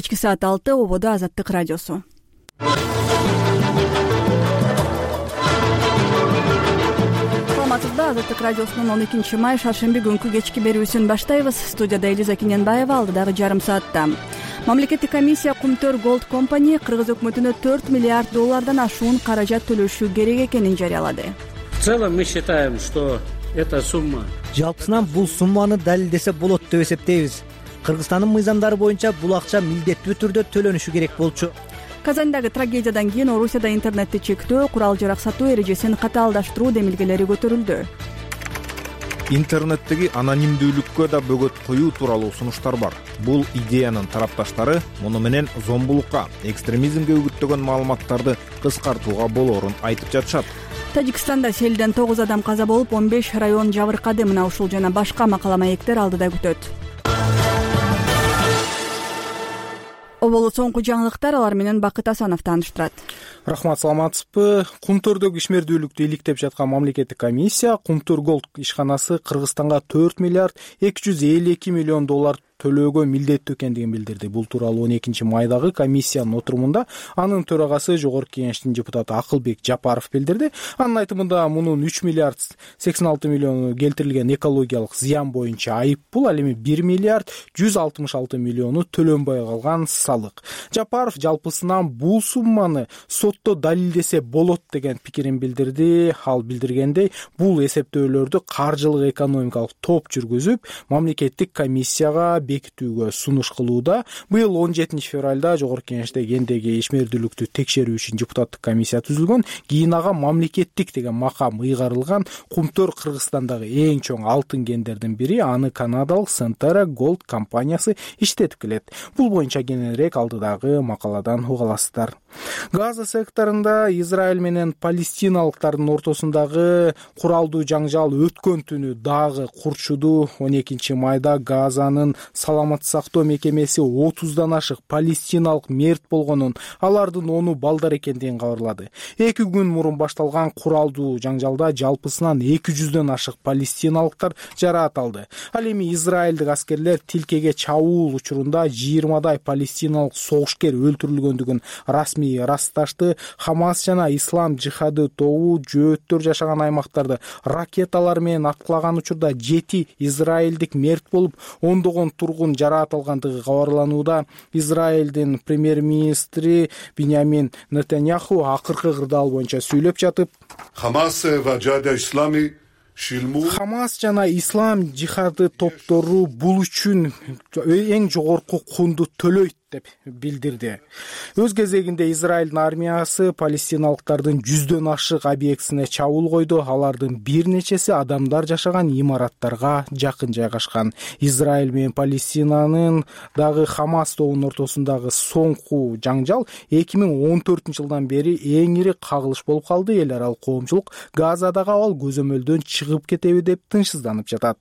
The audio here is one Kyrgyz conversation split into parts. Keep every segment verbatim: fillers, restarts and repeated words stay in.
Кечки саат алты ободо Азаттык радиосу. Саламатсызбы? Азаттык радиосунун он экинчи май шаршемби күнкү кечки берүүсүн баштайбыз. Студияда Элиза Кененбаева, алдыдагы жарым саатта. Мамлекеттик комиссия Кумтөр Gold Company Кыргыз өкмөтүнө төрт миллиард доллардан ашуун каражат төлөшү керек экенин жарыялады. В целом мы считаем, что эта сумма... Жалпысынан бул сумманы далилдесе болот деп эсептейбиз. Кыргызстандын мыйзамдары боюнча бул акча милдеттүү түрдө төлөнүшү керек болчу. Казандагы трагедиядан кийин Орусияда интернетти чектөө, курал-жарак сатуу эрежесин катаалдаштыруу демилгелери көтөрүлдү. Интернеттеги анонимдүүлүккө да бөгөт коюу тууралуу сунуштар бар. Бул идеянын тарапташтары муну менен зомбулукка, экстремизмге үгүттөгөн маалыматтарды кыскартууга болоорун айтып жатышат. Тажикстанда селден тогуз адам каза болуп, он беш район жабыркады. Мына ушул жана башка макала маектер алдыда күтөт. Оболут соңку жаңылыктар, алар менен Бакыт Асанов тааныштырат. Рахмат, саламатсызбы? Кумтөрдөгү ишмердүүлүктү иликтеп жаткан мамлекеттик комиссия Кумтөр Gold ишканасы Кыргызстанга төрт миллиард эки жүз элүү эки миллион доллар төлөөгө милдеттүү экендигин билдирди. Бул тууралуу он экинчи майдагы комиссиянын отурумунда анын төрагасы Жогорку Кеңештин депутаты Акылбек Жапаров билдирди. Анын айтымында мунун үч миллиард сексен алты миллиону келтирилген экологиялык зыян боюнча айып бул, ал эми бир миллиард жүз алтымыш алты миллиону төлөнбөй калган салык. Жапаров жалпысынан бул сумманы сотто далилдесе болот деген пикирин билдирди. Ал билдиргендей, бул эсептөөлөрдү каржылык экономикалык топ жүргүзүп, мамлекеттик комиссияга бекитүүгө сунуш кылууда. Быйыл он жетинчи февралда Жогорку Кеңеште кендеги ишмердүүлүктү текшерүү үчүн депутаттык комиссия түзүлгөн. Кийин ага мамлекеттик деген макам ыйгарылган. Кумтөр Кыргызстандагы эң чоң алтын кендердин бири, аны канадалык Centerra Gold компаниясы иштетип келет. Бул боюнча кененирээк алдыдагы макаладан уга аласыздар. Газа секторунда Израиль менен палестиналыктардын ортосундагы куралдуу жаңжал өткөн түнү дагы курчуду. он экинчи майда Газанын саламат сактоо мекемеси отуздан ашык палестиналык мерт болгонун, алардын ону балдар экендигин кабарлады. Эки күн мурун башталган куралдуу жаңжалда жалпысынан эки жүздөн ашык палестиналыктар жараат алды. Ал эми израилдик аскерлер тилкеге чабуул учурунда жыйырмадай палестиналык согушкер өлтүрүлгөндүгүн расмий ырасташты. Хамас жана ислам жихады тобу жөөттөр жашаган аймактарды ракеталар менен аткылаган учурда жети израилдик мерт болуп, ондогон тургун жараат алгандыгы кабарланууда. Израилдин премьер-министри Биньямин Нетаньяху акыркы кырдаал боюнча сүйлөп жатып, Хамас ва Джада ислами Хамас жана ислам жихады топтору бул үчүн эң жогорку кунду төлөйт деп билдирди. Өз кезегинде Израилдин армиясы палестиналыктардын жүздөн ашык объектисине чабуул койду. Алардын бир нечеси адамдар жашаган имараттарга жакын жайгашкан. Израиль менен Палестинанын дагы Хамас тобунун ортосундагы соңку жаңжал эки миң он төртүнчү жылдан бери эң ири кагылыш болуп калды. Эл аралык коомчулук Газадагы абал көзөмөлдөн чыгып кетеби деп тынчсызданып жатат.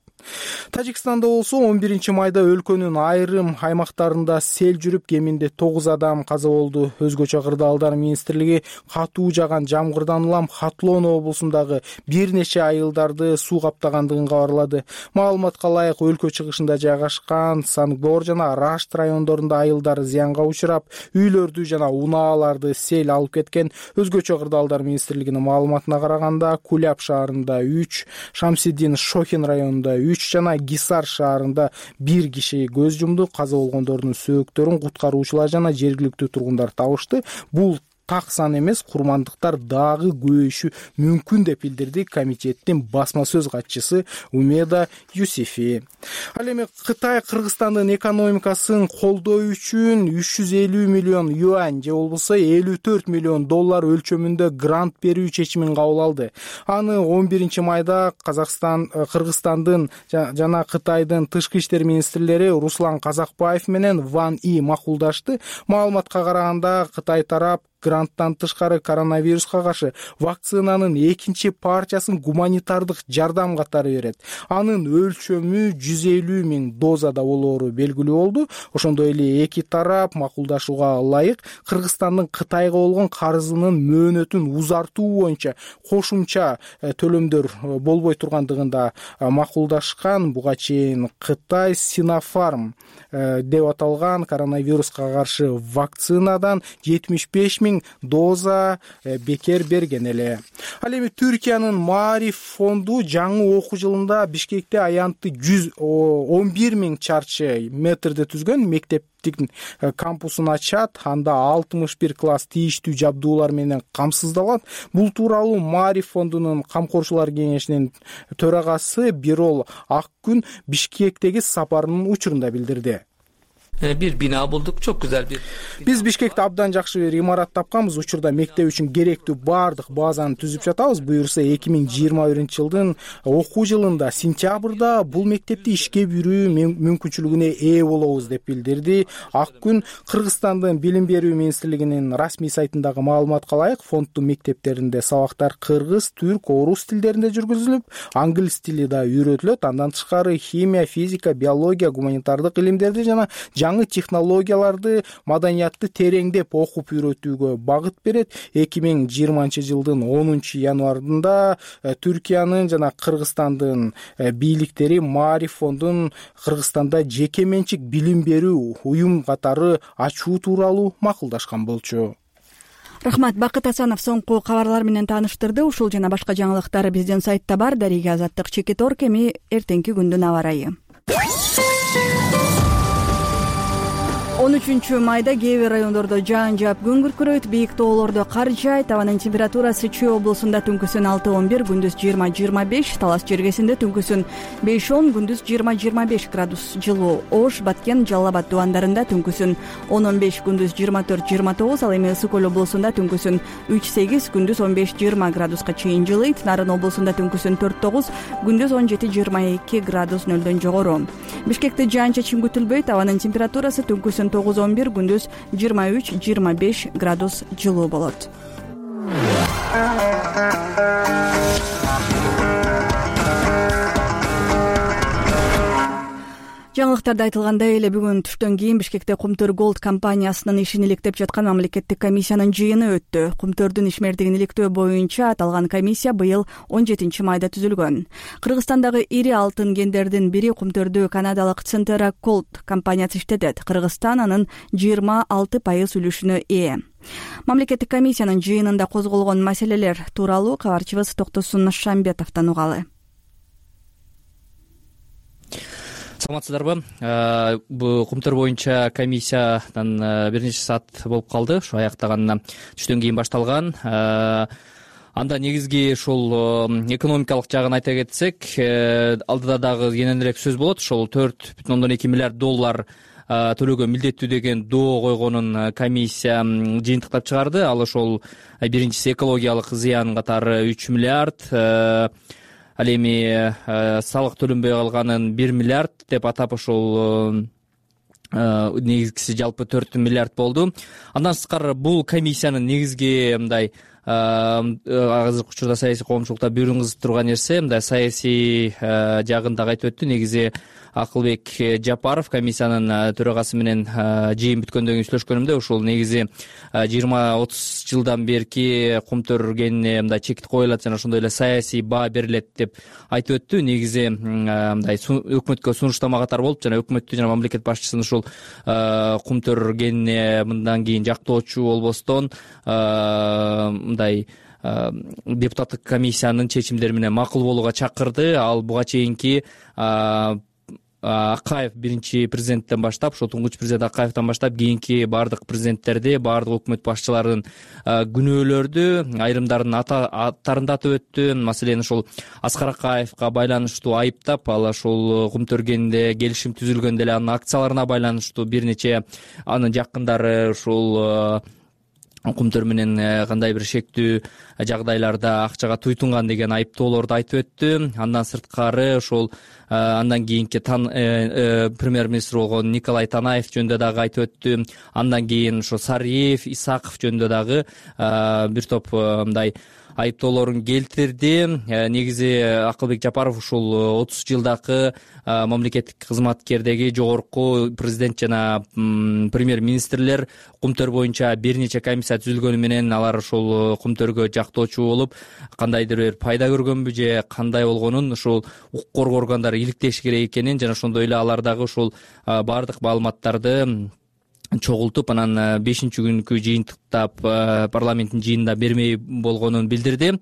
Тажикстанда болсо он биринчи майда өлкөнүн айрым аймактарында сел жүрүп, кеминде тогуз адам каза болду. Өзгөчө кырдаалдар министрлиги катуу жаган жамгырдан улам Хатлон облусундагы бир нече айылдарды суу каптагандыгын кабарлады. Маалыматка ылайык, өлкө чыгышында жайгашкан Сангбор жана Рашт райондорунда айылдар зыянга учурап, үйлөрдү жана унааларды сел алып кеткен. Өзгөчө кырдаалдар министрлигинин маалыматына караганда, Куляб шаарында үч, Шамсиддин Шохин районунда үч жана Гисар шаарында бир киши көз жумду. Каза болгондордун сөөктөрүн куткаруучулар жана жергиликтүү тургундар табышты. Бул так сан эмес, курмандыктар дагы көбөйүшү мүмкүн деп билдирди комитеттин басма сөз катчысы Умеда Юсифи. Ал эми Кытай Кыргызстандын экономикасын колдоо үчүн үч жүз элүү миллион юань же болбосо элүү төрт миллион доллар өлчөмүндө грант берүү чечимин кабыл алды. Аны он биринчи майда Казакстан, Кыргызстандын жана Кытайдын тышкы иштер министрлери Руслан Казакбаев менен Ван И макулдашты. Маалыматка караганда, Кытай тарап гранттан тышкары коронавируска каршы вакцинанын экинчи партиясын гуманитардык жардам катары берет. Анын өлчөмү жүз элүү миң дозада болоору белгилүү болду. Ошондой эле эки тарап макулдашууга ылайык Кыргызстандын Кытайга болгон карызынын мөөнөтүн узартуу боюнча кошумча төлөмдөр болбой тургандыгында макулдашкан. Буга чейин Кытай Синофарм деп аталган коронавируска каршы вакцинадан жетимиш беш миң доза бекер берген эле. Ал эми Түркиянын Маариф фонду жаңы окуу жылында Бишкекте аянтты жүз он бир миң чарчы метрде түзгөн мектептин кампусун ачат. Анда алтымыш бир класс тийиштүү жабдуулар менен камсыздалат. Бул тууралуу Маариф фондунун камкорчулар кеңешинин төрагасы Бирол Аккүн Бишкектеги сапарынын учурунда билдирди. Bir bina bulduk, çok güzel bir. Биз Бишкекте абдан жакшы бир имарат тапканбыз. Учурда мектеп үчүн керектүү баардык базаны түзүп жатабыз. Буюрса эки миң жыйырма биринчи жылдын окуу жылында сентябрда бул мектепти ишке бүрүү мүмкүнчүлүгүнө ээ болобуз деп билдирди Аккүн. Кыргызстандын Билим берүү министрлигинин расмий сайтындагы маалыматка ылайык, фонддун мектептеринде сабактар кыргыз, түрк, орус тилдеринде жүргүзүлүп, англис тили да үйрөтүлөт. Андан тышкары химия, физика, биология, гуманитардык илимдерди жана жаңы технологияларды, маданиятты тереңдеп окуп үйрөтүүгө багыт берет. эки миң жыйырманчы жылдын онунчу январында Түркиянын жана Кыргызстандын бийликтери Маариф фондун Кыргызстанда жеке менчик билим берүү уюм катары ачуу тууралуу макулдашкан болчу. Рахмат. Бакыт Асанов соңку кабарлар менен тааныштырды. Ушул жана башка жаңылыктар биздин сайтта бар. Дарига Азаттык, Чекитор, эми эртеңки күндүн аба ырайы. он үчүнчү майда кээ бир райондордо жаан жаап күн күркүрөйт, бийик тоолордо кар жаайт. Абанын температурасы Чүй облусунда түнкүсүн алты он бир, күндүз жыйырма жыйырма беш, Талас жергесинде түнкүсүн беш он, күндүз жыйырма жыйырма беш градус жылуу. Ош, Баткен, Жалал Абад дубандарында түнкүсүн он он беш, күндүз жыйырма төрт жыйырма тогуз, ал эми Ысык көл облусунда түнкүсүн үч сегиз, күндүз он беш жыйырма градуска чейин жылыйт. Нарын облусунда түнкүсүн төрт тогуз, күндүз он жети жыйырма эки градус нөлдөн жогору. Бишкекте жаан-чачын күтүлбөйт. Абанын температурасы түнкүсүн тогуз он бир, күндүз жыйырма үч жыйырма беш градус жылуу болот. Жаңылыктарда айтылгандай эле бүгүн түштөн кийин Бишкекте Кумтөр Голд компаниясынын ишин иликтеп жаткан мамлекеттик комиссиянын жыйыны өттү. Кумтөрдүн ишмердигин иликтөө боюнча аталган комиссия быйыл он жетинчи майда түзүлгөн. Кыргызстандагы ири алтын кендердин бири Кумтөрдү канадалык Центера Голд компаниясы иштетет. Кыргызстан анын жыйырма алты пайыз үлүшүнө ээ. Мамлекеттик комиссиянын жыйынында козголгон маселелер тууралуу кабарчыбыз Токтосун Шамбетовдон угалы. Саламатсыздарбы? Бул Кумтөр боюнча комиссиядан бир нече саат болуп калды. Ушу аяктаган түштөн кийин башталган. Анда негизги ушул экономикалык жагын айта кетсек, алдыда дагы кененирээк сөз болот. Ошол төрт бүтүн ондон эки миллиард доллар төлөөгө милдеттүү деген доо койгонун комиссия жыйынтыктап чыгарды. Ал ошол биринчиси экологиялык зыян катары үч миллиард, ал эми салык төлөнбөй калганын бир миллиард деп атап ошол негизгиси жалпы төрт миллиард болду. Андан сырткары бул комиссиянын негизги мындай азыркы учурда саясий коомчулукта бүүрүн кызытып турган нерсе мындай саясий жагын дагы айтып өттү. Негизи Акылбек Жапаров комиссиянын төрагасы менен жыйын бүткөндөн кийин сүйлөшкөнүмдө ушул негизи жыйырма отуз жылдан берки Кумтөр кенине мындай чекит коюлат жана ошондой эле саясий баа берилет деп айтып өттү. Негизи мындай өкмөткө сунуштама катары болуп жана өкмөттү жана мамлекет башчысын ушул Кумтөр кенине мындан кийин жактоочу болбостон мындай депутаттык комиссиянын чечимдери менен макул болууга чакырды. Ал буга чейинки Акаев биринчи президенттен баштап, ошо туңгуч президент Акаевден баштап кийинки баардык президенттерди, баардык өкмөт башчыларынын күнөөлөрдү, айрымдардын аттарын да атап өттү. Маселен, ошол Аскар Акаевга байланыштуу айыптап, ал ошол Кумтөр кенинде келишим түзүлгөндө эле анын акцияларына байланыштуу бир нече анын жакындары ушул кумтөр менен кандай бир шектүү жагдайларда акчага туйтунган деген айыптоолорду айтып өттү. Андан сырткары ошол андан кийинки премьер-министр болгон Николай Танаев жөнүндө дагы айтып өттү. Андан кийин ошо Сариев, Исаков жөнүндө дагы бир топ мындай айыптоолорун келтирди. Негизи Акылбек Жапаров ушул отуз жылдагы мамлекеттик кызматкердеги жогорку президент жана премьер-министрлер кумтөр боюнча бир нече комиссия түзүлгөнү менен алар ушул кумтөргө жактоочу болуп кандайдыр бир пайда көргөнбү же кандай болгонун ушул укук коргоо органдары иликтеши керек экенин жана ошондой эле алар дагы ушул баардык маалыматтарды чогултуп анан бешинчи күнкү жыйынтыкта парламенттин жыйынында бермей болгонун билдирди.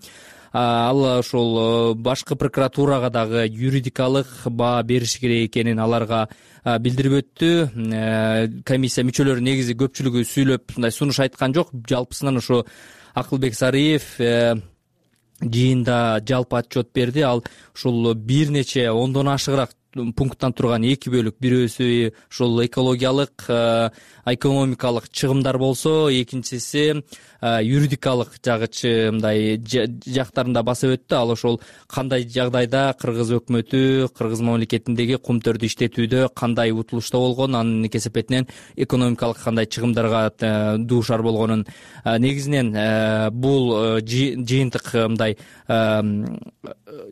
Ал ошол башкы прокуратурага дагы юридикалык баа бериши керек экенин аларга билдирип өттү. Комиссия мүчөлөрү негизи көпчүлүгү сүйлөп мындай сунуш айткан жок. Жалпысынан ошо Акылбек Сариев жыйында жалпы отчет берди. Ал ушул бир нече ондон ашыгыраак пункттан турган эки бөлүк, бирөөсү ушул экологиялык, экономикалык чыгымдар болсо, экинчиси юридикалык жагычы мындай жактарында басып өттү. Ал ошол кандай жагдайда кыргыз өкмөтү кыргыз мамлекетиндеги кумтөрдү иштетүүдө кандай утулушта болгон, анын кесепетинен экономикалык кандай чыгымдарга дуушар болгонун. Негизинен бул жыйынтык мындай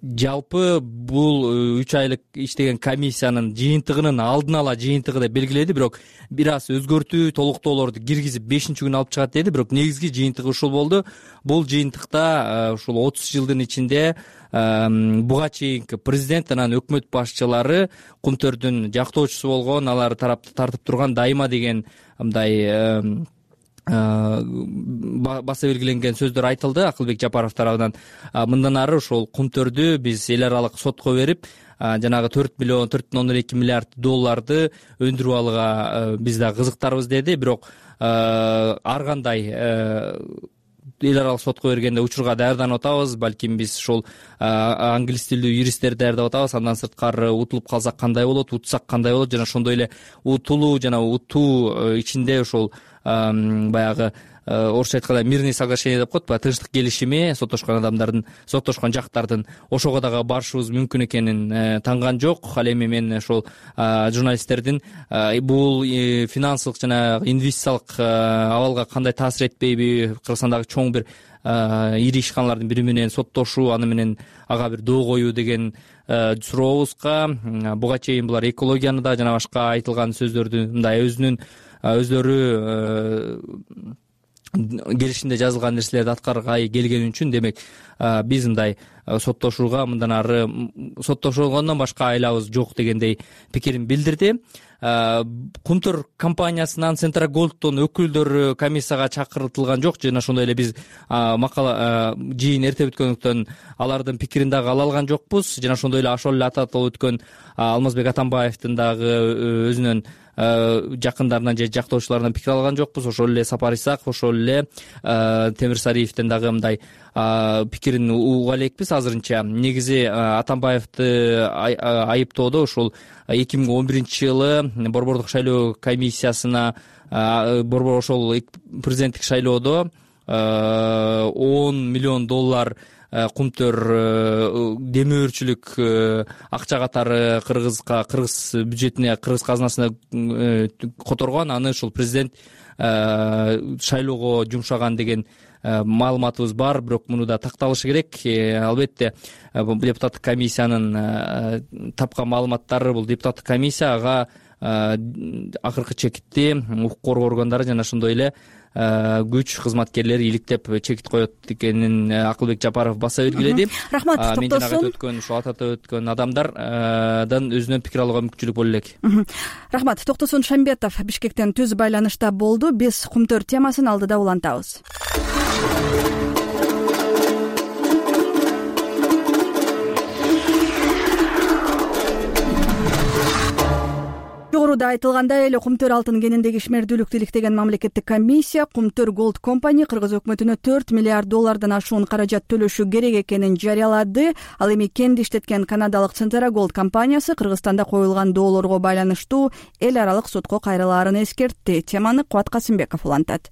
жалпы бул үч айлык иштеген комиссиянын жыйынтыгынын алдын ала жыйынтыгы деп белгиледи, бирок бир аз өзгөртүү толуктоолорду киргизип бешинчи күнү алып чыгат деди, бирок негизги жыйынтыгы ушул болду. Бул жыйынтыкта ушул отуз жылдын ичинде буга чейинки президент анан өкмөт башчылары кумтөрдүн жактоочусу болгон, алар тарапты тартып турган дайыма деген мындай баса белгиленген сөздөр айтылды Акылбек Жапаров тарабынан. Мындан ары ошол кумтөрдү биз эл аралык сотко берип жанагы төрт миллион төрт бүтүн ондон эки миллиард долларды өндүрүп алууга биз да кызыктарбыз деди. Бирок ар кандай эл аралык сотко бергенде учурга даярданып атабыз. Балким биз ушул англис тилдүү юристтерди даярдап атабыз. Андан сырткары утулуп калсак кандай болот, утсак кандай болот, жана ошондой эле утулуу жана утуу ичинде ошол баягы орусча айтканда мирный соглашение деп коет, баягы тынчтык келишими соттошкон адамдардын, соттошкон жактардын ошого дагы барышыбыз мүмкүн экенин танган жок. Ал эми мен ошол журналисттердин бул финансылык жана инвестициялык абалга кандай таасир этпейби, Кыргызстандагы чоң бир ири ишканалардын бири менен соттошуу, аны менен ага бир доо коюу деген сурообузга буга чейин булар экологияны да жана башка айтылган сөздөрдү мындай өзүнүн өздөрү келишимде жазылган нерселерди аткаргай келгени үчүн, демек биз мындай соттошууга мындан ары соттошулгондон башка айлабыз жок дегендей пикирин билдирди. Кумтөр компаниясынан Центра Голдтон өкүлдөрү комиссияга чакыртылган жок, жана ошондой эле биз макала жыйын эрте бүткөндүктөн алардын пикирин дагы ала алган жокпуз. Жана ошондой эле ошол эле ататылып өткөн Алмазбек Атамбаевдин дагы өзүнүн жакындарынан же жактоочуларынан пикир алган жокпуз. Ошол эле Сапар Исаков, ошол эле Темир Сариевдин дагы мындай пикирин уга элекпиз азырынча. Негизи Атамбаевди айыптоодо ушул эки миң он биринчи жылы борбордук шайлоо комиссиясына борбор ошол президенттик шайлоодо он миллион доллар кумтөр демөөрчүлүк акча катары кыргызга, кыргыз бюджетине, кыргыз казынасына которгон. Аны ушул президент шайлоого жумшаган деген маалыматыбыз бар, бирок муну да такталышы керек. Албетте депутаттык комиссиянын тапкан маалыматтары, бул депутаттык комиссия ага акыркы чекитти укук коргоо органдары жана ошондой эле күч кызматкерлери иликтеп чекит коет экенин Акылбек Жапаров баса белгиледи. Рахмат. Мен жана айтып өткөн ушул ататып өткөн адамдардан өзүнөн пикир алууга мүмкүнчүлүк боло элек. Рахмат. Токтосун Шамбетов Бишкектен түз байланышта болду. Биз кумтөр темасын алдыда улантабыз. Жогоруда айтылгандай эле кумтөр алтын кениндеги ишмердүүлүктү иликтеген мамлекеттик комиссия Кумтөр Голд компани кыргыз өкмөтүнө төрт миллиард доллардан ашуун каражат төлөшү керек экенин жарыялады. Ал эми кенди иштеткен канадалык Центра Голд компаниясы Кыргызстанда коюлган доолорго байланыштуу эл аралык сотко кайрылаарын эскертти. Теманы Кубат Касымбеков улантат.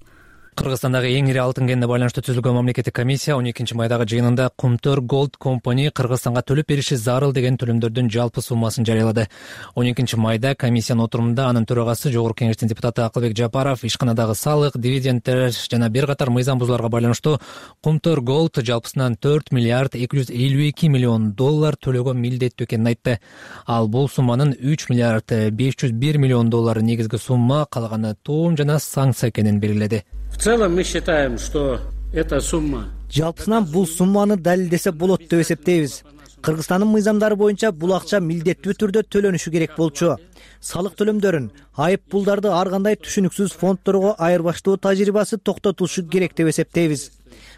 Кыргызстандагы эң ири алтын кенине байланыштуу түзүлгөн мамлекеттик комиссия он экинчи майдагы жыйынында Кумтөр Gold Company Кыргызстанга төлөп бериши зарыл деген төлөмдөрдүн жалпы суммасын жарыялады. он экинчи майда комиссиянын отурумунда анын төрагасы Жогорку Кеңештин депутаты Акылбек Жапаров ишканадагы салык, дивидендтер жана бир катар мыйзам бузууларга байланыштуу Кумтөр Gold жалпысынан төрт миллиард эки жүз элүү эки миллион доллар төлөөгө милдеттүү экенин айтты. Ал бул сумманын үч миллиард беш жүз бир миллион доллары негизги сумма, калганы тоом жана санкция экенин белгиледи. В целом мы считаем, что эта сумма жалпысынан бул сумманы далилдесе болот деп эсептейбиз. Кыргызстандын мыйзамдары боюнча бул акча милдеттүү түрдө төлөнүшү керек болчу. Салык төлөмдөрүн, айып пулдарды ар кандай түшүнүксүз фондторго айырбаштоо тажрыйбасы токтотулушу керек деп эсептейбиз.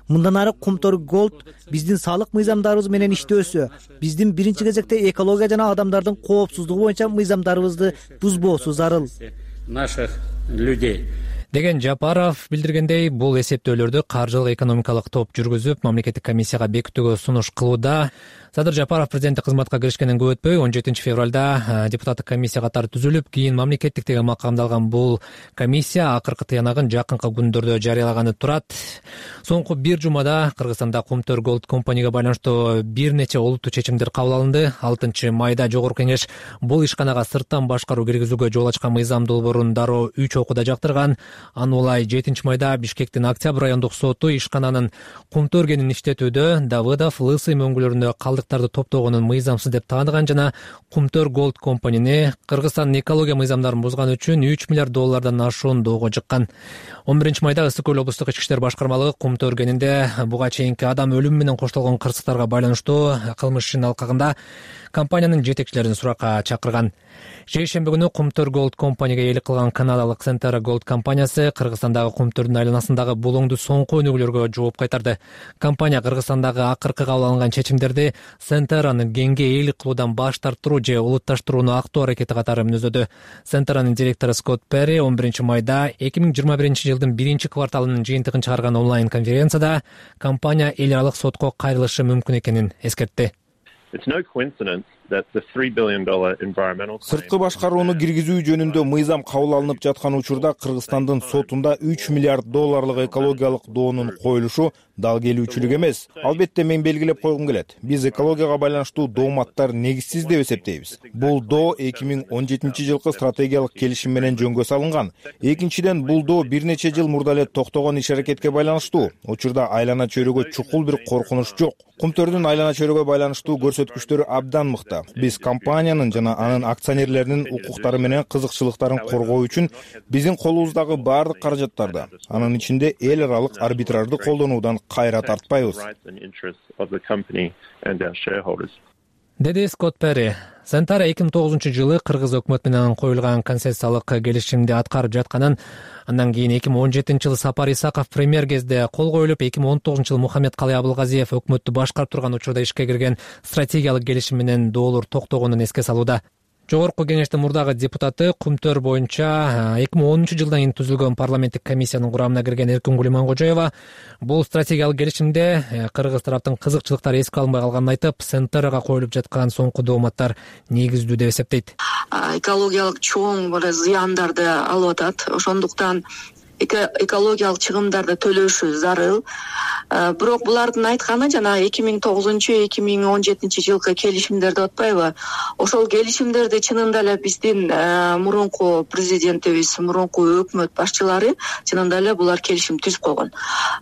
Мындан ары Кумтөр Gold биздин салык мыйзамдарыбыз менен иштөөсү, биздин биринчи кезекте экология жана адамдардын коопсуздугу боюнча мыйзамдарыбызды бузбоосу зарыл. Наших людей. Деген Жапаров билдиргендей, бул эсептөөлөрдү каржылык экономикалык топ жүргүзүп, мамлекеттик комиссияга бекитүүгө сунуш кылууда. Садыр Жапаров президенттик кызматка киришкенден көп өтпөй он жетинчи февралда депутаттык комиссия катары түзүлүп, кийин мамлекеттик деген макамдалган бул комиссия акыркы тыянагын жакынкы күндөрдө жарыялаганы турат. Соңку бир жумада Кыргызстанда Кумтөр Gold Company'га байланыштуу бир нече олуттуу чечимдер кабыл алынды. алтынчы майда Жогорку Кеңеш бул ишканага сырттан башкаруу киргизүүгө жол ачкан мыйзам долбоорун дароо үч окууда жактырган. Аны улай жетинчи майда Бишкектин Октябрь райондук соту ишкананын Кумтөр кенин иштетүүдө Давыдов, Лысый мөңгүлөрүндө калдыктарды топтогонун мыйзамсыз деп тааныган жана Кумтөр Gold Company'ни Кыргызстандын экология мыйзамдарын бузган үчүн үч миллиард доллардан ашуун доого жыккан. он биринчи майда Ысык көл облустук ички иштер башкармалыгы Кумтөр кенинде буга чейинки адам өлүмү менен коштолгон кырсыктарга байланыштуу кылмыш ишинин алкагында компаниянын жетекчилерин суракка чакырган. Жейшемби күнү Кумтөр Gold Company'га ээлик кылган канадалык Centera Gold компаниясы Кыргызстандагы Кумтөрдүн айланасындагы булоңду соңку өнүгүүлөргө жооп кайтарды. Компания Кыргызстандагы акыркы кабыл алынган чечимдерди Centera'ны кенге ээлик кылуудан баш тартыруу же улутташтырууну актоо аракети катары мүнөздөдү. Centera'нын директору Скотт Перри он биринчи майда эки миң жыйырма биринчи жылдын биринчи кварталынын жыйынтыгын чыгарган онлайн конференцияда компания эл аралык сотко кайрылышы мүмкүн экенин эскертти. Сырткы башкарууну киргизүү жөнүндө мыйзам кабыл алынып жаткан учурда Кыргызстандын сотунда үч миллиард долларлык экологиялык доонун коюлушу дал келүүчүлүк эмес. Албетте мен белгилеп койгум келет. Биз экологияга байланыштуу дооматтар негизсиз деп эсептейбиз. Бул доо эки миң он жетинчи жылкы стратегиялык келишим менен жөнгө салынган. Экинчиден, бул доо бир нече жыл мурда эле токтогон иш-аракетке байланыштуу. Учурда айлана чөйрөгө чукул бир коркунуч жок. Кумтөрдүн айлана чөйрөгө байланыштуу көрсөткүчтөрү абдан мыкты. Биз компаниянын жана анын акционерлеринин укуктары менен кызыкчылыктарын коргоо үчүн биздин колубуздагы баардык каражаттарды, анын ичинде эл аралык арбитражды колдонуудан кайра тартпайбыз, деди Скотт Перри. Centera эки миң тогузунчу жылы Кыргыз өкмөтү менен коюлган концессиялык келишимди аткарып жатканын, андан кийин эки миң он жетинчи жылы Сапар Исаков премьер кезде кол коюлуп, эки миң он тогузунчу жылы Мухаммедкалый Абылгазиев өкмөттү башкарып турган учурда ишке кирген стратегиялык келишим менен доолор токтогонун эске салууда. Жогорку Кеңештин мурдагы депутаты Кумтөр боюнча эки миң онунчу жылдан кийин түзүлгөн парламенттик комиссиянын курамына кирген Эркингүл Иманкожоева бул стратегиялык келишимде кыргыз тараптын кызыкчылыктары эске алынбай калганын айтып, Centera'га коюлуп жаткан соңку дооматтар негиздүү деп эсептейт. Экологиялык чоң бир зыяндарды алып атат. Ошондуктан экологиялык чыгымдарды төлөшү зарыл. Бирок булардын айтканы жана эки миң тогузунчу эки миң он жетинчи жылкы келишимдерди атпайбы? Ошол келишимдерди чынында эле биздин мурунку президентибиз, мурунку өкмөт башчылары чынында эле булар келишим түзүп койгон.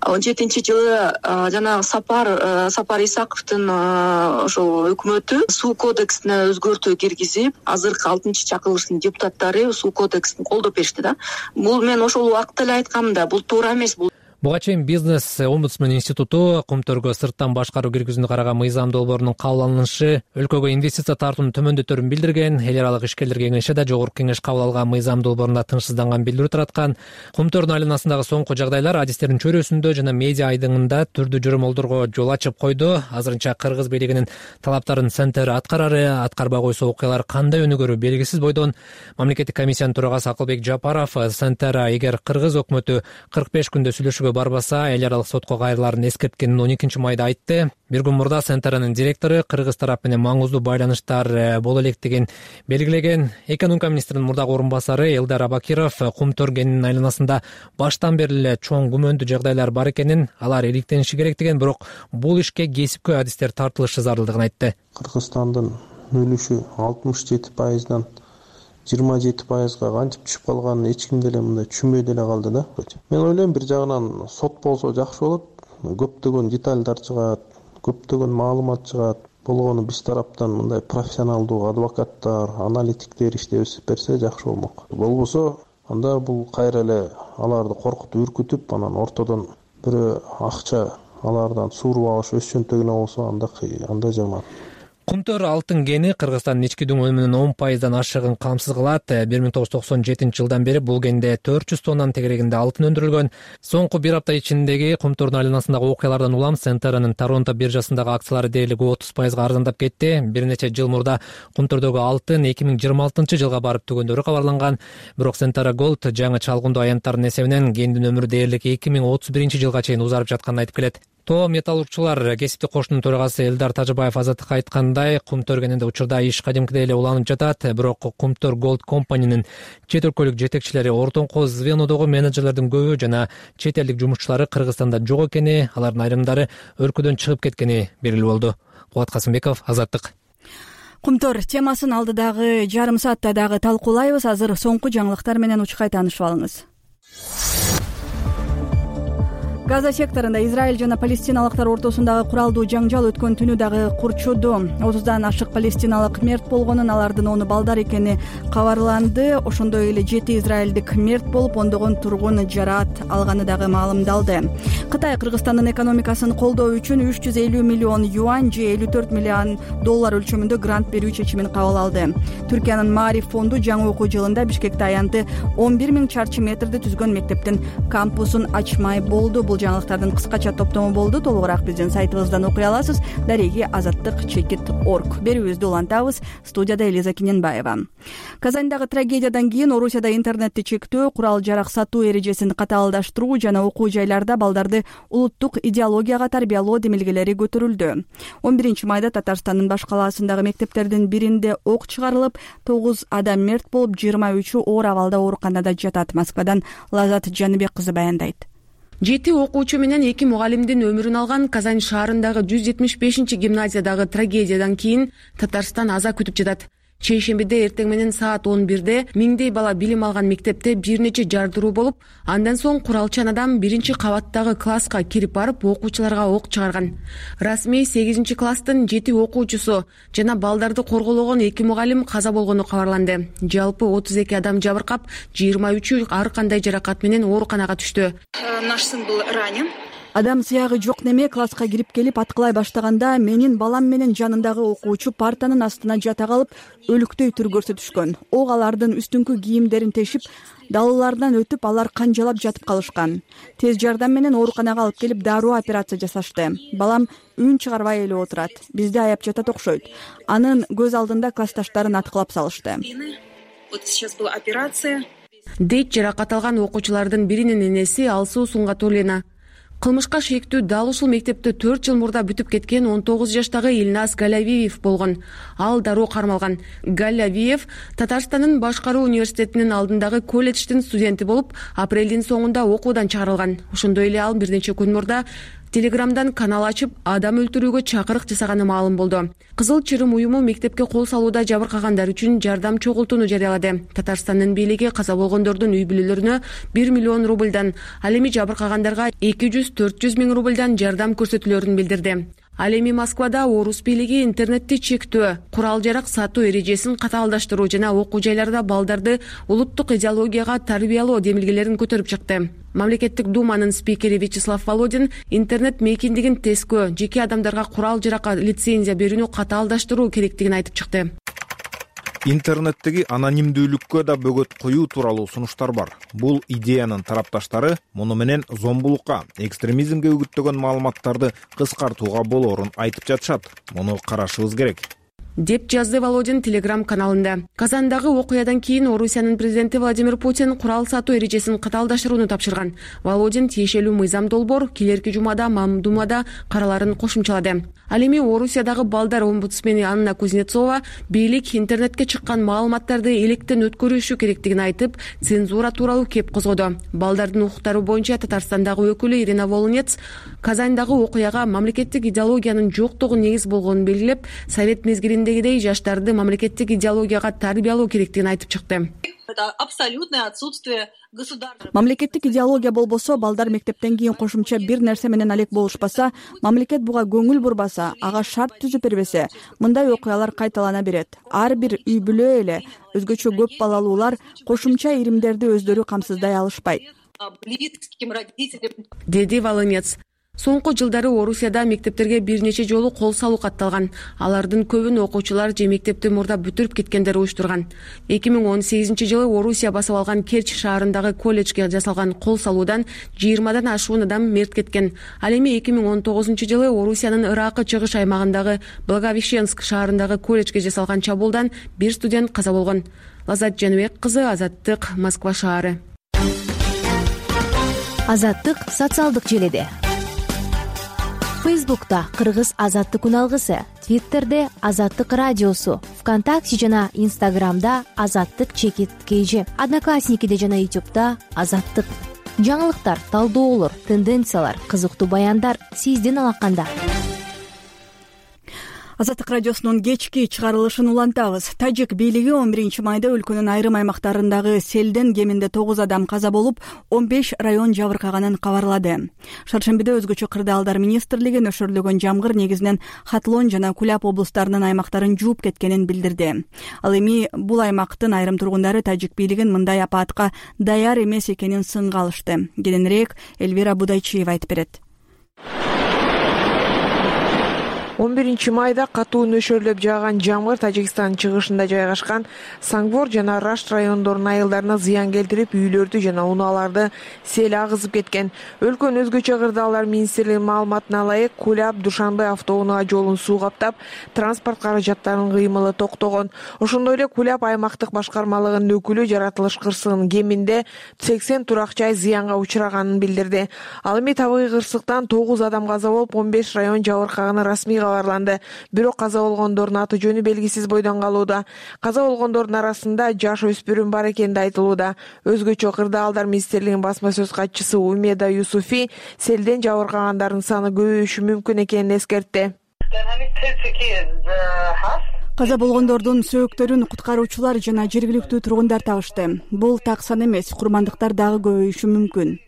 он жетинчи жылы жана Сапар Сапар Исаковдун ошол өкмөтү суу кодексине өзгөртүү киргизип, азыркы алтынчы чакырылыштын депутаттары суу кодексин колдоп беришти да. Бул мен ошол убакта эле айткам да, бул туура эмес. Бул Буга чейин бизнес омбудсмен институту Кумтөргө сырттан башкаруу киргизүүнү караган мыйзам долбоорунун кабыл алынышы өлкөгө инвестиция тартууну төмөндөтөрүн билдирген. Эл аралык ишкерлер кеңеши да Жогорку Кеңеш кабыл алган мыйзам долбоорунда тынчсызданган билдирүү тараткан. Кумтөрдүн айланасындагы соңку жагдайлар адистердин чөйрөсүндө жана медиа айдыңында түрдүү жөрөмөлдөргө жол ачып койду. Азырынча кыргыз бийлигинин талаптарын Centera аткарары, аткарбай койсо окуялар кандай өнүгөрү белгисиз бойдон. Мамлекеттик комиссиянын төрагасы Акылбек Жапаров Centera эгер кыргыз өкмөтү кырк беш күндө сүйлөшүүгө барбаса эл аралык сотко кайрылаарын эскерткенин он экинчи майда айтты. Бир күн мурда Центранын директору кыргыз тарап менен маңыздуу байланыштар боло электигин белгилеген. Экономика министринин мурдагы орун басары Элдар Абакиров Кумтөр кенинин айланасында баштан бери эле чоң күмөндүү жагдайлар бар экенин, алар иликтениши керектигин, бирок бул ишке кесипкөй адистер тартылышы зарылдыгын айтты. Кыргызстандын үлүшү алтымыш жети пайыздан жыйырма жети пайызга кантип түшүп калганын эч ким деле мындай түшүнбөй деле калды да. Мен ойлойм, бир жагынан сот болсо жакшы болот. Көптөгөн детальдар чыгат, көптөгөн маалымат чыгат. Болгону биз тараптан мындай профессионалдуу адвокаттар, аналитиктер иштеп берсе жакшы болмок. Болбосо анда бул кайра эле аларды коркутуп, үркүтүп, анан ортодон бирөө акча алардан suurуп алыш өз чөнтөгүнө болсо анда анда жаман. Кумтөр алтын кени Кыргызстандын ички дүңөлүнүн он пайыздан ашыгын камсыз кылат. бир миң тогуз жүз токсон жетинчи жылдан бери бул кенде төрт жүз тоннанын тегерегинде алтын өндүрүлгөн. Соңку бир апта ичиндеги Кумтөрдүн айланасындагы окуялардан улам Центранын Торонто биржасындагы акциялары дээрлик отуз пайызга арзандап кетти. Бир нече жыл мурда Кумтөрдөгү алтын эки миң жыйырма алтынчы жылга барып түгөндөрү кабарланган. Бирок Центра Голд жаңы чалгындуу аянттардын эсебинен кендин өмүрү дээрлик эки миң отуз биринчи жылга чейин узарып жатканын айтып келет. Тоо металлургчулар кесиптик коштунун төрагасы Элдар Тажыбаев азаттыкка айткандай, Кумтөр кенинде учурда иш кадимкидей эле уланып жатат. Бирок Кумтөр Голд компаниянын чет өлкөлүк жетекчилери, ортоңку звенодогу менеджерлердин көбү жана чет элдик жумушчулары Кыргызстанда жок экени, алардын айрымдары өлкөдөн чыгып кеткени белгилүү болду. Кубат Касымбеков, Азаттык. Кумтөр темасын алдыдагы жарым саатта дагы талкуулайбыз. Азыр соңку жаңылыктар менен учкай таанышып алыңыз. Газа секторунда Израиль жана палестиналыктар ортосундагы куралдуу жаңжал өткөн түнү дагы курчуду. отуздан ашык палестиналык мерт болгонун, алардын оны балдар экени кабарланды. Ошондой эле жети израилдик мерт болуп, ондогон тургун жараат алганы дагы маалымдалды. Кытай Кыргызстандын экономикасын колдоо үчүн үч жүз элүү миллион юань же элүү төрт миллион доллар өлчөмүндө грант берүү чечимин кабыл алды. Түркиянын Маариф фонду жаңы окуу жылында Бишкекте аянты он бир миң чарчы метрди түзгөн мектептин кампусун ачмай болду. Бул жаңылыктардын кыскача топтому болду. Толугураак биздин сайтыбыздан окуй аласыз. Дареги азаттык чекит точка орг. Берүүбүздү улантабыз. Студияда Элиза Киненбаева. Казандагы трагедиядан кийин Орусияда интернетти чектөө, курал жарак сатуу эрежесин катаалдаштыруу жана окуу жайларда балдарды улуттук идеологияга тарбиялоо демилгелери көтөрүлдү. он биринчи майда Татарстандын баш калаасындагы мектептердин биринде ок чыгарылып, тогуз адам мерт болуп, жыйырма үчү оор абалда ооруканада жатат. Москвадан Лазат Жаныбек кызы баяндайт. Жети окуучу менен эки мугалимдин өмүрүн алган Казань шаарындагы жүз жетимиш бешинчи гимназиядагы трагедиядан кийин Татарстан аза күтүп жатат. Чейшембиде эртең менен саат он бирде миңдей бала билим алган мектепте бир нече жардыруу болуп, андан соң куралчан адам биринчи кабаттагы класска кирип барып, окуучуларга ок чыгарган. Расмий сегизинчи класстын жети окуучусу жана балдарды коргологон эки мугалим каза болгону кабарланды. Жалпы отуз эки адам жабыркап, жыйырма үчү ар кандай жаракат менен ооруканага түштү. Наш сын был ранен. Адам сыягы жок неме класска кирип келип аткылай баштаганда менин балам менен жанындагы окуучу партанын астына жата калып өлүктөй түр көрсөтүшкөн. Ок алардын үстүңкү кийимдерин тешип, далылардан өтүп, алар канжалап жатып калышкан. Тез жардам менен ооруканага алып келип дароо операция жасашты. Балам үн чыгарбай эле отурат. Бизди аяп жатат окшойт. Анын көз алдында классташтарын аткылап салышты. Вот сейчас была операция. Дейт жаракат алган окуучулардын биринин энеси Алсуу Сунгатуллина. Кылмышка шектүү дал ушул мектепте төрт жыл мурда бүтүп кеткен он тогуз жаштагы Илназ Галявиев болгон. Ал дароо кармалган. Галявиев Татарстандын башкаруу университетинин алдындагы колледждин студенти болуп, апрелдин соңунда окуудан чыгарылган. Ошондой эле ал бир нече күн мурда Телеграмдан канал ачып, адам өлтүрүүгө чакырык жасаганы маалым болду. Кызыл Чырым уюму мектепке кол салууда жабыркагандар үчүн жардам чогултууну жарыялады. Татарстандын бийлиги каза болгондордун үй бүлөлөрүнө бир миллион рубльдан, ал эми жабыркагандарга эки жүз төрт жүз миң рубльдан жардам көрсөтүлөрүн билдирди. Ал эми Москвада орус бийлиги интернетти чектөө, курал жарак сатуу эрежесин катаалдаштыруу жана окуу жайларда балдарды улуттук идеологияга тарбиялоо демилгелерин көтөрүп чыкты. Мамлекеттик думанын спикери Вячеслав Володин интернет мейкиндигин тескөө, жеке адамдарга курал жаракка лицензия берүүнү катаалдаштыруу керектигин айтып чыкты. Интернеттеги анонимдүүлүккө да бөгөт коюу тууралуу сунуштар бар. Бул идеянын тарапташтары муну менен зомбулукка, экстремизмге үгүттөгөн маалыматтарды кыскартууга болоорун айтып жатышат. Муну карашыбыз керек. деп жазды Володин Телеграм каналында. Казандагы окуядан кийин Орусиянын президенти Владимир Путин курал сатуу эрежесин катаалдаштырууну тапшырган. Володин тиешелүү мыйзам долбоор келерки жумада Мамдумада караларын кошумчалады. Ал эми Орусиядагы балдар омбудсмени Анна Кузнецова бийлик интернетке чыккан маалыматтарды электен өткөрүшү керектигин айтып, цензура тууралуу кеп козгоду. Балдардын укуктары боюнча Татарстандагы өкүлү Ирина Волынец Казандагы окуяга мамлекеттик идеологиянын жоктугу негиз болгонун белгилеп, совет мезгилиндегидей жаштарды мамлекеттик идеологияга тарбиялоо керектигин айтып чыкты. Это абсолютное отсутствие государства. Мамлекеттик идеология болбосо, балдар мектептен кийин кошумча бир нерсе менен алек болушпаса, мамлекет буга көңүл бурбаса, ага шарт түзүп бербесе, мындай окуялар кайталана берет. Ар бир үй бүлө эле, өзгөчө көп балалуулар кошумча иримдерди өздөрү камсыздай алышпайт, деди Волынец. Соңку жылдары Орусияда мектептерге бир нече жолу кол салуу катталган. Алардын көбүн окуучулар же мектепти мурда бүтүрүп кеткендер уюштурган. эки миң он сегизинчи жылы Орусия басып алган Керчь шаарындагы колледжге жасалган кол салуудан жыйырмадан ашуун адам мерт кеткен. Ал эми эки миң он тогузунчу жылы Орусиянын Ыракы чыгыш аймагындагы Благовещенск шаарындагы колледжге жасалган чабуулдан бир студент каза болгон. Лазат Жаныбек кызы, Азаттык, Москва шаары. Азаттык социалдык желеде. Фейсбукта Кыргыз Азаттык үналгысы, Твиттерде Азаттык радиосу, ВКонтакте жана Инстаграмда Азаттык чекит кейжи, Одноклассникиде жана Ютубта Азаттык. Жаңылыктар, талдоолор, тенденциялар, кызыктуу баяндар сиздин алаканда. Азаттык радиосунун кечки чыгарылышын улантабыз. Тажик бийлиги он биринчи майда өлкөнүн айрым аймактарындагы селден кеминде тогуз адам каза болуп, он беш район жабыркаганын кабарлады. Шаршембиде өзгөчө кырдаалдар министрлиги нөшөрлөгөн жамгыр негизинен Хатлон жана Куляб облустарынын аймактарын жууп кеткенин билдирди. Ал эми бул аймактын айрым тургундары тажик бийлигин мындай апаатка даяр эмес экенин сынга алышты. Кененирээк Элвира Будайчиева айтып берет. он биринчи майда катуу нөшөрлөп жааган жамгыр Тажикстандын чыгышында жайгашкан Сангвор жана Рашт райондорунун айылдарына зыян келтирип, үйлөрдү жана унааларды сел агызып кеткен. Өлкөнүн өзгөчө кырдаалдар министрлигинин маалыматына ылайык, Куляб Душанбе автоунаа жолун суу каптап, транспорт каражаттарынын кыймылы токтогон. Ошондой эле Куляб аймактык башкармалыгынын өкүлү жаратылыш кырсыгынын кеминде сексен турак жай зыянга учраганын билдирди. Ал эми табигый кырсыктан тогуз адам каза болуп, он беш район жабыркаганы расмий кабарланды. Бирок каза болгондордун аты жөнү белгисиз бойдон калууда. Каза болгондордун арасында жаш өспүрүм бар экени айтылууда. Өзгөчө кырдаалдар министрлигинин басма сөз катчысы Умеда Юсуфи селден жабыркагандардын саны көбөйүшү мүмкүн экенин эскертти. Каза болгондордун сөөктөрүн куткаруучулар жана жергиликтүү тургундар табышты. Бул так сан эмес, курмандыктар дагы көбөйүшү мүмкүн,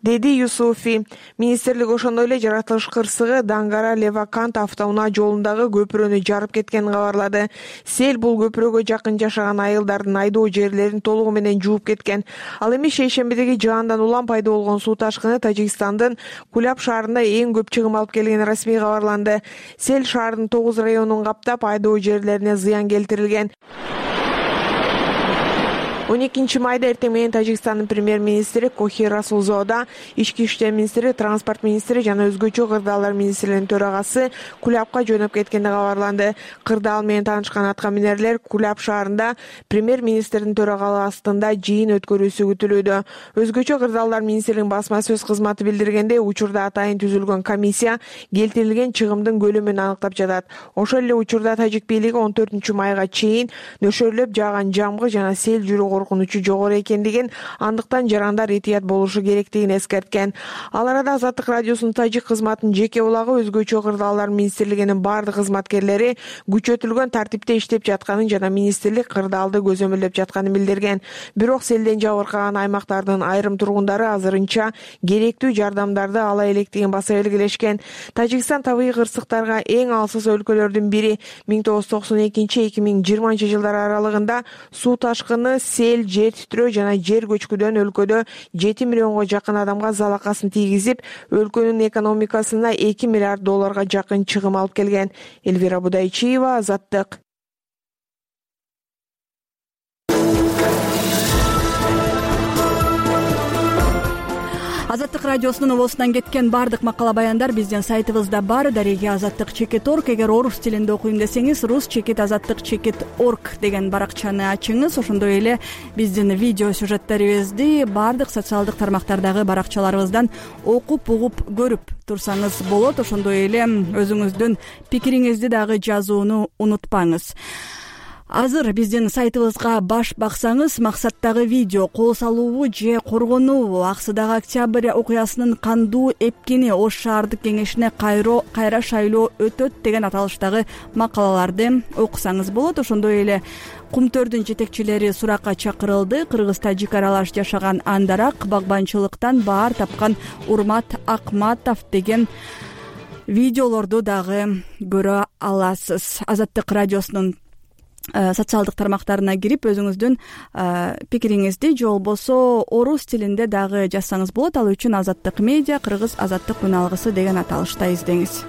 деди Юсуфи. Министрлик ошондой эле жаратылыш кырсыгы Дангара Левакант автоунаа жолундагы көпүрөнү жарып кеткенин кабарлады. Сел бул көпүрөгө жакын жашаган айылдардын айдоо жерлерин толугу менен жууп кеткен. Ал эми шейшембидеги жаандан улам пайда болгон суу ташкыны Тажикстандын Куляб шаарында эң көп чыгым алып келгени расмий кабарланды. Сел шаардын тогуз районун каптап, айдоо жерлерине зыян келтирилген. он экинчи майда эртең менен Тажикстандын премьер-министри Кохи Расулзода, ички иштер министри, транспорт министри жана өзгөчө кырдаалдар министринин төрагасы Кулябка жөнөп кеткени кабарланды. Кырдаал менен таанышкан аткаминерлер Куляб шаарында премьер-министрдин төрагалыгы астында жыйын өткөрүүсү күтүлүүдө. Өзгөчө кырдаалдар министринин басма сөз кызматы билдиргендей, учурда атайын түзүлгөн комиссия келтирилген чыгымдын көлөмүн аныктап жатат. Ошол эле учурда тажик бийлиги он төртүнчү майга чейин нөшөрлөп жааган жамгыр жана сел жүрүү коркунучу жогору экендигин, андыктан жарандар этият болушу керектигин эскерткен. Ал арада Азаттык радиосунун тажик кызматынын жеке булагы өзгөчө кырдаалдар министрлигинин бардык кызматкерлери күчөтүлгөн тартипте иштеп жатканын жана министрлик кырдаалды көзөмөлдөп жатканын билдирген. Бирок селден жабыркаган аймактардын айрым тургундары азырынча керектүү жардамдарды ала электигин баса белгилешкен. Тажикстан табигый кырсыктарга эң алсыз өлкөлөрдүн бири. миң тогуз жүз токсон экинчи эки миң жыйырманчы жылдар аралыгында суу ташкыны, сел, жер титрөө жана жер көчкүдөн өлкөдө жети миллионго жакын адамга залакасын тийгизип, өлкөнүн экономикасына эки миллиард долларга жакын чыгым алып келген. Элвира Будайчиева, Азаттык. Азаттык радиосунун обосунан кеткен баардык макала баяндар биздин сайтыбызда бар. Дареги азаттык чекит орг. Эгер орус тилинде окуйм десеңиз, рус чекит азаттык чекит орг деген баракчаны ачыңыз. Ошондой эле биздин видео сюжеттерибизди баардык социалдык тармактардагы баракчаларыбыздан окуп, угуп, көрүп турсаңыз болот. Ошондой эле өзүңүздүн пикириңизди дагы жазууну унутпаңыз. Азыр биздин сайтыбызга баш баксаңыз, максаттагы видео кол салуубу же коргонуубу, аксыдагы октябрь окуясынын кандуу эпкени, Ош шаардык кеңешине кайра шайлоо өтөт деген аталыштагы макалаларды окусаңыз болот. Ошондой эле Кумтөрдүн жетекчилери суракка чакырылды. Кыргызда жик аралаш жашаган Андарак, багбанчылыктан баар тапкан Урмат Акматов деген видеолорду дагы көрө аласыз. Азаттык радиосунун социалдык тармактарына кирип өзүңүздүн пикириңизди же болбосо орус тилинде дагы жазсаңыз болот. Ал үчүн Азаттык медиа, Кыргыз азаттык үн алгысы деген аталышта издеңиз.